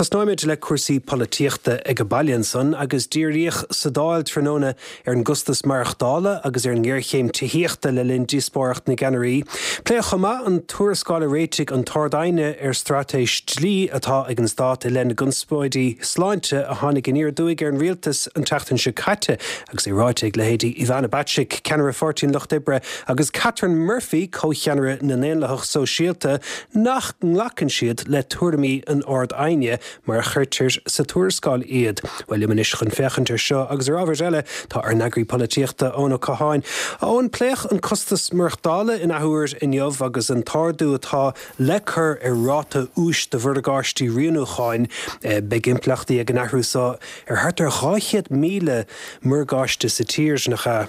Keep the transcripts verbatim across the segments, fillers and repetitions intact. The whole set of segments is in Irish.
Tosnóimid le cúrsaí polaitíochta ag an baile ansan agus díríodh sa Dáil tráthnóna ar an gcostas maireachtála agus ar an ngéarchéim tithíochta le linn díospóireacht na gceannairí. Pléadh chomh maith an tuarascáil a réitigh an tArd-Aighne ar straitéis dlí atá ag an stát i leith na gconspóidí sláinte a tháinig aniar aduaidh ar an rialtas an tseachtain seo caite agus é ráite ag leithéidí Ivana Bacik, ceannaire Pháirtí an Lucht Oibre agus Catherine Murphy, comhcheannaire na nDaonlathach Sóisialta, nach nglacann siad le tuairimí an Ard-Aighne mar a chuirtear sa tuarascáil iad. Well liom anois chun féachaint ar seo agus ar ábhair eile tá ár n-eagraí polaitíochta Eoin Ó Catháin. Eoin pléadh an costas maireachtála in athuair inniu agus an t-ardú atá le cur ar ráta úis do mhorgáistí rianúcháin beidh impleachtaí ag an athrú seo ar thart ar dhá chéad míle morgáiste sa tír nach ea.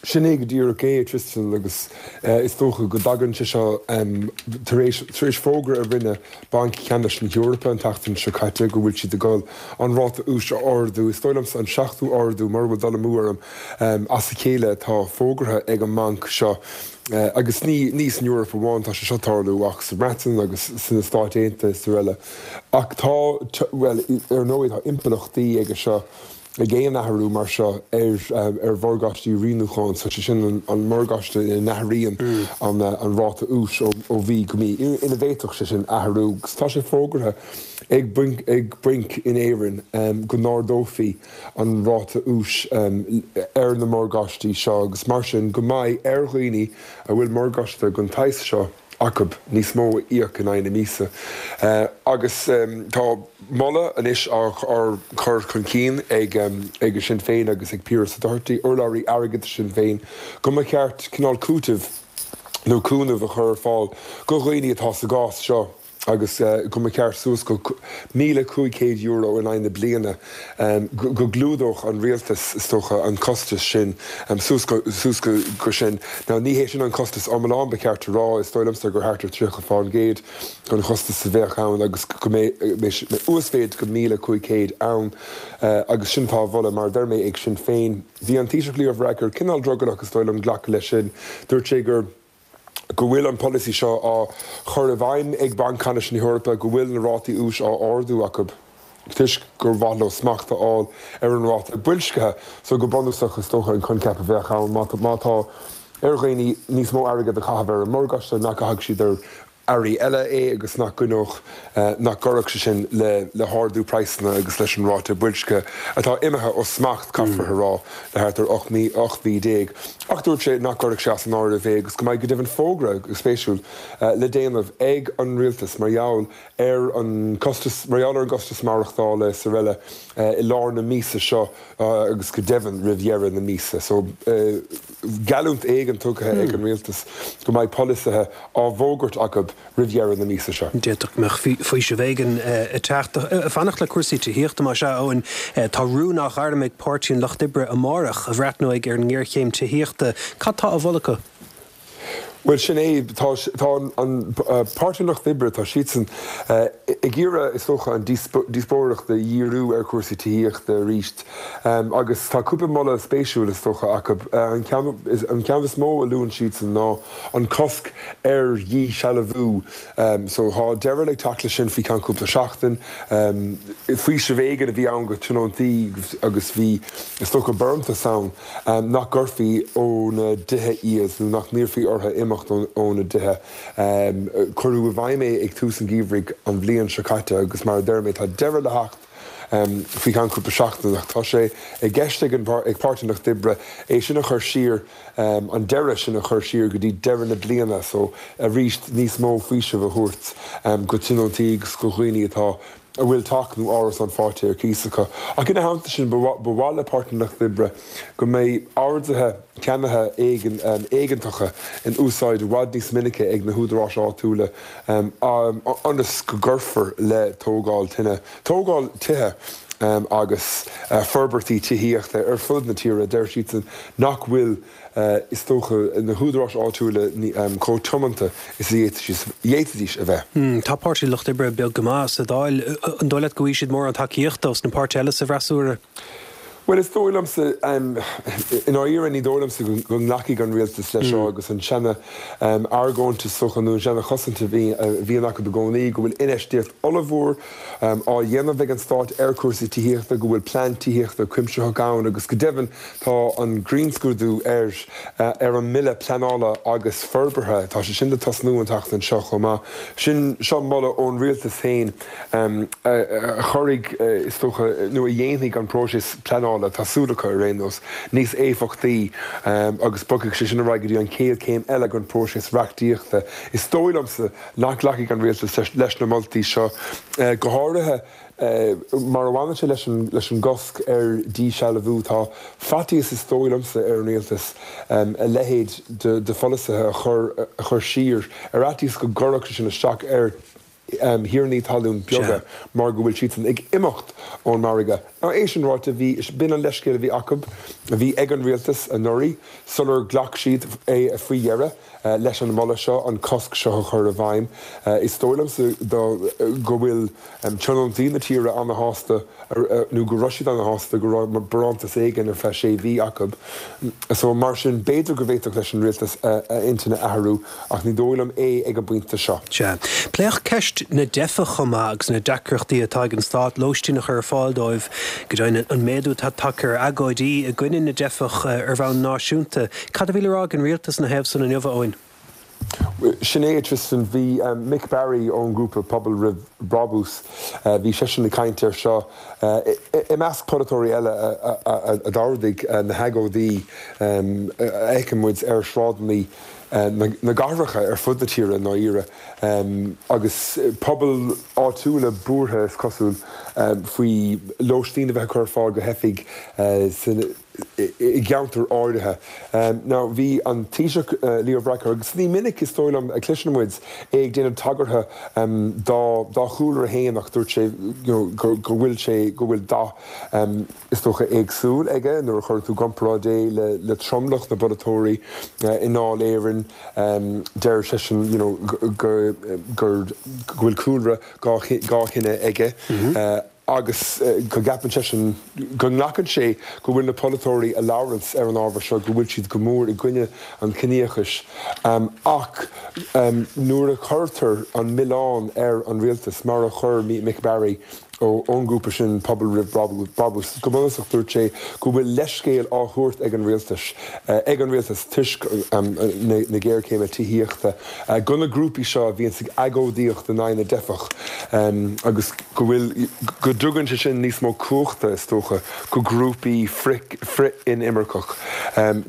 Sin é go díreach é Tristan agus is dócha go dtagann sé seo tar éis tar éis fógra a rinne Banc Ceannais na hEorpa an tseachtain seo caite go bhfuil siad ag dul an ráta úis a ardú. Is dóigh liomsa an seachtú ardú mura bhfuil dul amú orm as a chéile atá fógartha ag an mbanc seo. Agus ní ní san Eoraip amháin tá sé seo tarlú ach sa Bhreatain agus sna Stáit Aontaithe is araile. Ach tá well ar ndóigh tá impleachtaí aige seo ag aon athrú mar seo ar ar mhorgáistí rianúcháin, so sé sin an an morgáiste ina n-athraíonn an an ráta úis ó ó mhí go mí, ina bhféadfadh sé sin athrú. Agus tá sé fógartha ag bainc ag bainc in Éirinn go n-ardófaí an ráta úis ar na morgáistí seo agus mar sin go mbeidh ar dhaoine a bhfuil morgáiste den tsaghas seo acu níos mó a íoc in aghaidh na míosa. Agus tá moladh anois á chur chun cinn ag ag Sinn Féin agus ag Pearse Doherty, urlabhraí airgeadais Shinn Féin, go mba cheart cineál cúiteamh nó cúnamh a chur ar fáil go dhaoine atá sa gcás seo. agus go mba cheart suas go míle cúig chéad euro in aghaidh na bliana go gclúdódh an rialtas, is dócha, an costas sin suas go suas go sin. Now ní hé sin an costas iomlán, ba cheart a rá, is dóigh liomsa gur thart ar tríocha fán gcéad den chostas a bheadh ann agus go mbeidh uasmhéid go míle cúig chéad ann agus sin atá á mholadh, mar a deir mé, ag Sinn Féin. Bhí an Taoiseach Leo Varadkar cineál drogallach, is dóigh liom, glacadh leis sin. Dúirt sé gur. go bhfuil an polasaí seo á chur i bhfeidhm ag Banc Ceannais na hEorpa, go bhfuil na rátaí úis á ardú acu toisc gur mhaith leo smacht a fháil ar an ráta boilscithe. So go bunúsach, is dócha an coincheap a bheadh ann, má tá ar dhaoine níos mó airgead a chaitheamh ar an morgáiste, nach gcaithfeadh siad ar earraí eile é agus nach gcoinneodh, nach gcuirfeadh sé sin le le hardú praghsanna agus leis an ráta boilscithe atá imithe ó smacht, caithfear a rá, le thart ar ocht mí, ocht mhí déag. Ach dúirt sé nach gcuirfeadh sé as an áireamh é agus go mbeidh go deimhin fógra, go spéisiúil, le déanamh ag an rialtas mar gheall ar an costas, mar gheall ar an gcostas maireachtála is araile i lár na míosa seo agus go deimhin roimh dheireadh na míosa. So, geallúint éigin tugtha ag an rialtas go mbeidh polasaithe á bhfógairt acu roimh dheireadh na míosa seo. D'fhéadfadh go mbeadh faoiseamh éigin ag teacht. Fanacht le cúrsaí tithíochta más ea, Eoin. Tá rún á ghairm ag Páirtí an Lucht Oibre amárach a bhreathnóidh ar an ngéarchéim tithíochta. Cad tá á mholadh acu? Bhuel, sin é. Tá an Páirtí an Lucht Oibre, tá siadsan ag iarraidh, is dócha, an díospóireacht a dhíriú ar chúrsaí tithíochta arís agus tá cúpla moladh spéisiúil, is dócha, acu. An ceann is mó a luann siadsan ná an cosc ar dhíshealbhú. So tá deireadh le teacht leis sin faoi cheann cúpla seachtain. Faoiseamh éigin a bhí ann go tionóntaí agus bhí, is dócha, barántas ann nach gcuirfí óna dtithe iad nó nach n-iarrfaí orthu imeacht óna dtithe. Cuireadh i bhfeidhm é ag tús an gheimhridh an bhliain seo caite agus mar a deir mé tá deireadh le theacht faoi cheann cúpla seachtain ach tá sé i gceist ag ag Páirtí an Lucht Oibre é sin a chur siar, an deireadh sin a chur siar go dtí deireadh na bliana so arís níos mó faoisimh a thabhairt go tionóntaí agus go dhaoine atá a bhfuil teach nó árasán faighte ar cíos acu. Ach ina theannta sin, ba mhaith le Páirtí an Lucht Oibre go mbeidh orduithe ceannaithe éigeantacha in úsáid i bhfad níos minice ag na húdaráis áitiúla ionas go gcuirfear le tógáil tine, tógáil tithe agus forbairtí tithíochta ar fud na tíre. Deir siadsan nach bhfuil is dócha, na húdaráis áitiúla chomh tiomanta is a d'fhéadfaidís a bheith. Tá Páirtí an Lucht Oibre beag go maith sa Dáil. An dóigh leat go bhfaighidh siad mórán tacaíochta ós na páirtithe eile sa bhfreasúra? Bhuel, is dóigh liomsa, i ndáiríre ní dóigh liomsa go nglacfaidh an rialtas leis seo agus an seana argóint is dócha nó an seana chosaint a bhíonn acu i gcónaí go bhfuil infheistíocht ollmhór á dhéanamh ag an stát ar chúrsaí tithíochta, go bhfuil plean tithíochta cuimsitheach ann agus go deimhin tá an grinnscrúdú ar ar an mBille Pleanála agus Forbartha, tá sé sin le tosnú an tseachtain seo chomh maith. Sin seo moladh ón rialtas féin a chuirfidh is dócha nó a dhéanfaidh an próiseas pleanála, tá súil acu ar aon nós, níos éifeachtaí agus bogfaidh sé sin ar aghaidh go dtí an chéad chéim eile den phróiseas reachtaíochta. Is dóigh liomsa nach nglacfaidh an rialtas leis na moltaí seo, go háirithe mar a bhaineann sé leis an leis an gcosc ar dhíshealbhú. Tá faitíos, is dóigh liomsa, ar an rialtas a leithéid de pholasaithe a chur a chur siar ar fhaitíos go gcuirfeadh sé sin isteach ar thiarnaí talún beaga mar go bhfuil siadsan ag imeacht ón margadh. Now é sin ráite, bhí, b'in an leithscéal a bhí acu, a bhí ag an rialtas anuraidh sular ghlac siad é faoi dheireadh leis an moladh seo an cosc seo a chur i bhfeidhm. Is dóigh liomsa go bhfuil tionóntaí na tíre ana-shásta nó go raibh siad ana-shásta go raibh barántas éigin ar feadh sé mhí acu. So mar sin b'fhéidir go bhféadfadh leis an rialtas a intinn a athrú ach ní dóigh liom é ag an bpointe seo. Sea. Pléadh ceist na dteifeach chomh maith agus na deacrachtaí atá ag an stát lóistín a chur ar fáil dóibh. Go deimhin an méadú atá tagtha ar agóidí i gcoinne na dteifeach ar bhonn náisiúnta. Cad a bhí le rá ag an rialtas ina thaobh san inniu, a Eoin? Sin é, a Tristan. Bhí Mick Barry ón ngrúpa Pobal Roimh Brabús, bhí seisean ag caint air seo i measc polaiteoirí eile a d'ardaigh na hagóidí a fheiceann muid ar shráideanna na gcathracha ar fud na tíre i ndáiríre, agus pobail áitiúla buartha, is cosúil, faoi lóistín a bheith á cur ar fáil do theifigh san i gceantair áirithe. Now bhí an Taoiseach Leo Varadkar, agus ní minic is dóigh liom a chloiseann muid é ag déanamh tagartha dá dá chúlra féin ach dúirt sé you know go go bhfuil sé go bhfuil dath is dócha éagsúil aige nuair a chuireann tú i gcomparáid é le le tromlach na bpolaiteoirí i nDáil Éireann. Deir seisean you know go gur go bhfuil cúlra dhá dhá chine aige. Agus go gceapann seisean, go nglacann sé go bhfuil na polaiteoirí a labhranns ar an ábhar seo, go bhfuil siad go mór i gcoinne an chiníochais. Ach nuair a chuirtear an milleán ar an rialtas, mar a chuir Mick Barry ón ngrúpa sin Pobal Roimh Brabús, go bunúsach dúirt sé go bhfuil leithscéal á thabhairt ag an rialtas, ag an rialtas toisc na géarchéime tithíochta, do na grúpaí seo a bhíonns ag agóidíocht in aghaidh na dteifeach agus go bhfuil, go dtugann sé sin níos mó cumhachta, is dócha, go grúpaí frith-inimirceach.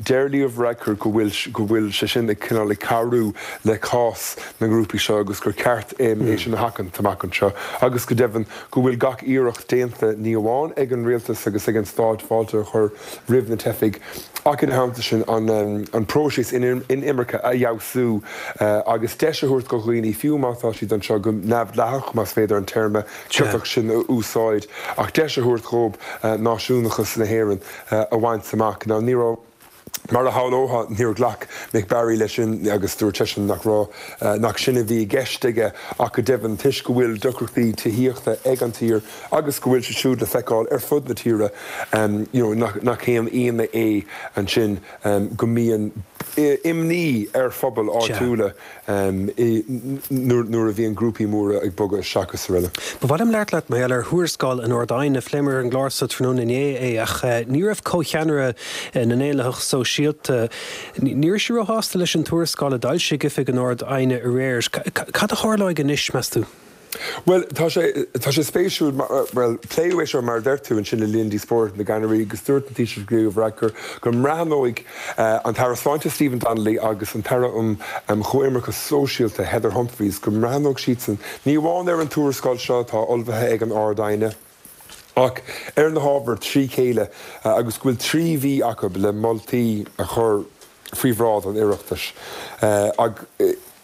Deir Leo Varadkar go bhfuil, go bhfuil sé sin ag cineál ag cabhrú le cás na ngrúpaí seo agus gur ceart é sin a sheachaint amach anseo agus go deimhin go bhfuil gach iarracht déanta ní amháin ag an rialtas agus ag an stát fáilte a chur roimh na teifigh ach ina theannta sin an próiseas inimirce a fheabhsú agus deis a thabhairt do dhaoine, fiú má tá siad anseo go neamhdhleathach, más féidir an téarma ciotach sin a úsáid, ach deis a thabhairt dhóibh náisiúnachas na hÉireann a bhaint amach. Now ní raibh. Mar a shamhlófá, níor ghlac Mick Barry leis sin agus dúirt seisean nach raibh, nach sin a bhí i gceist aige ach go deimhin, toisc go bhfuil deacrachtaí tithíochta ag an tír agus go bhfuil siad siúd le feiceáil ar fud na tíre, you know, nach, nach haon ionadh é ansin go mbíonn imní ar phobail áitiúla nuair a bhíonn grúpaí móra ag bogadh isteach is araile. Ba mhaith liom labhairt leat mar gheall ar thuarascáil an Ard-Aighne. Phléamar ar an gclár seo tráthnóna inné é ach ní raibh comhcheannaire na nDaonlathach Sóisialta, ní raibh sí róshásta leis an tuarascáil a d'fhoilsigh Oifig an Ard-Aighne aréir. Cad a tharlóidh anois, meas tú? Bhuel, tá sé, tá sé spéisiúil mar, bhuel, pléadh é seo mar a deir tú ansin le linn díospóireacht na gceannairí agus dúirt an Taoiseach Leo Varadkar go mbreathnóidh an tAire Sláinte Stephen Donnelly agus an tAire um Chomhimirce Sóisialta Heather Humphreys go mbreathnóidh siadsan ní amháin ar an tuarascáil seo atá ullmhaithe ag an Ard-Aighne ach ar na hábhair trí chéile agus go bhfuil trí mhí acu le moltaí a chur faoi bhráid an Oireachtais.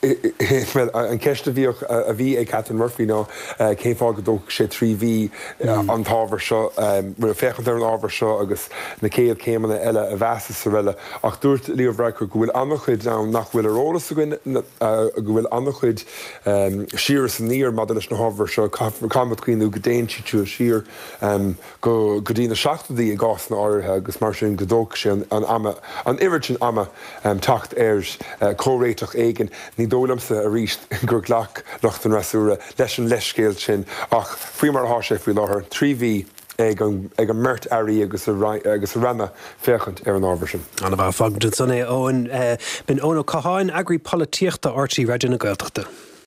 Bhuel, an cheist a bhíodh, a bhí ag Catherine Murphy ná cén fáth go dtógfadh sé trí mhí an t-ábhar seo, bhuel, féachaint ar an ábhar seo agus na céad chéimeanna eile a mheas is araile. Ach dúirt Leo Varadkar go bhfuil an-chuid ann nach bhfuil ar eolas againn, go bhfuil an-chuid siar is aniar maidir leis na hábhair seo. Caithfimid cuimhniú go dtéann siad seo siar go dtí na seachtóidí i gcásanna áirithe agus mar sin go dtógfaidh sé an ama, an oiread sin ama teacht ar chomhréiteach éigin. Ní dóigh liomsa arís gur ghlac lucht an fhreasúra leis an leithscéal sin ach faoi mar atá sé faoi láthair, trí mhí ag an ag an mbeirt airí agus a agus a ranna féachaint ar an ábhar sin. An-mhaith, fágfaimid ansan é, Eoin. B'in Eoin Ó Catháin, eagraí polaitíochta RTÉ Raidió na Gaeltachta.